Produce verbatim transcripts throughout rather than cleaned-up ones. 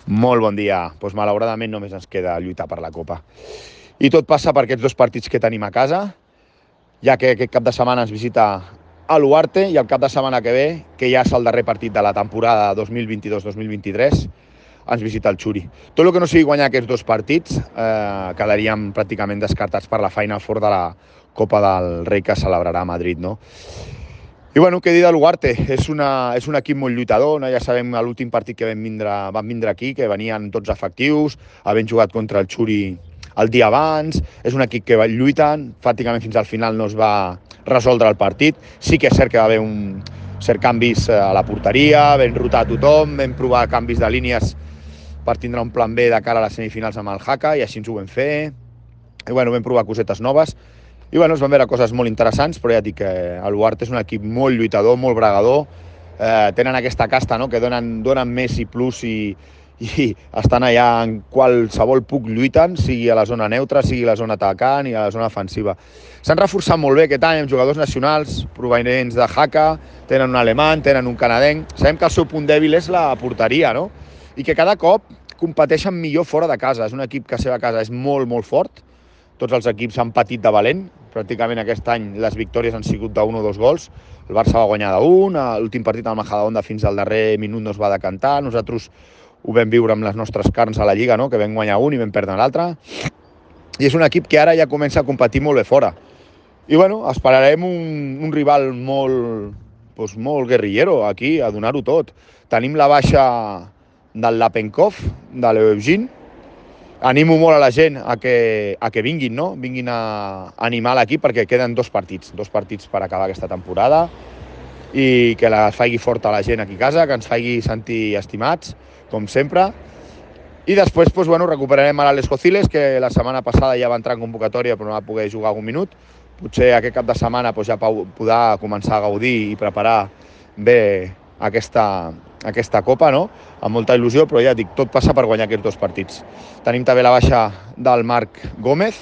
Molt bon dia. Doncs malauradament només ens queda lluitar per la Copa. I tot passa per aquests dos partits que tenim a casa, ja que aquest cap de setmana ens visita a l'Uarte i el cap de setmana que ve, que ja és el darrer partit de la temporada dos mil vint-i-dos dos mil vint-i-tres, ens visita el Xuri. Tot el que no sigui guanyar aquests dos partits eh, quedaríem pràcticament descartats per la Final Four de la Copa del Rei que celebrarà a Madrid, no? I bueno, què dir de l'Uarte? És, una, és un equip molt lluitador, no? Ja sabem l'últim partit que vam vindre, vam vindre aquí, que venien tots efectius, havent jugat contra el Xuri el dia abans, és un equip que lluiten, pràcticament fins al final no es va resoldre el partit. Sí que és cert que va haver un cert canvis a la porteria, vam rotar a tothom, vam provar canvis de línies per tindre un plan B de cara a les semifinals amb el Haka, i així ens ho vam fer. I bueno, vam provar cosetes noves. I bueno, es van veure coses molt interessants, però ja dic que l'Uarte és un equip molt lluitador, molt bregador, eh, tenen aquesta casta, no?, que donen, donen més i plus i, i estan allà en qualsevol puc lluiten, sigui a la zona neutra, sigui a la zona atacant i a la zona ofensiva. S'han reforçat molt bé aquest any amb jugadors nacionals provenents de Haka, tenen un alemany, tenen un canadenc. Sabem que el seu punt dèbil és la porteria, no?, i que cada cop competeixen millor fora de casa. És un equip que a la seva casa és molt, molt fort. Tots els equips han patit de valent. Pràcticament aquest any les victòries han sigut d'un o dos gols. El Barça va guanyar d'un, l'últim partit al Majadahonda fins al darrer minut no es va decantar. Nosaltres ho vam viure amb les nostres carns a la Lliga, no?, que vam guanyar un i vam perdre l'altre. I és un equip que ara ja comença a competir molt bé fora. I bueno, esperarem un, un rival molt, doncs molt guerrillero aquí, a donar-ho tot. Tenim la baixa del Lapenkov, de l'Eugene. Animo molt a la gent a que, a que vinguin, no? Vinguin a animar l'equip perquè queden dos partits, dos partits per acabar aquesta temporada, i que la faci forta la gent aquí a casa, que ens faci sentir estimats, com sempre. I després doncs, bueno, recuperarem a l'Àlex Cociles, que la setmana passada ja va entrar en convocatòria però no va poder jugar algun minut. Potser aquest cap de setmana doncs, ja podrà començar a gaudir i preparar bé aquesta, aquesta Copa, no?, amb molta il·lusió, però ja dic, tot passa per guanyar aquests dos partits. Tenim també la baixa del Marc Gómez,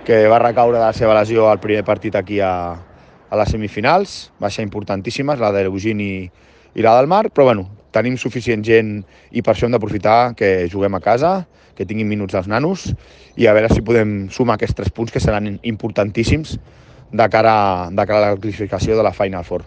que va recaure de la seva lesió al primer partit aquí a, a les semifinals, baixa importantíssimes, la de l'Eugene i, i la del Marc, però bueno, tenim suficient gent i per això hem d'aprofitar que juguem a casa, que tinguin minuts els nanos, i a veure si podem sumar aquests tres punts que seran importantíssims de cara, de cara a la classificació de la Final Four.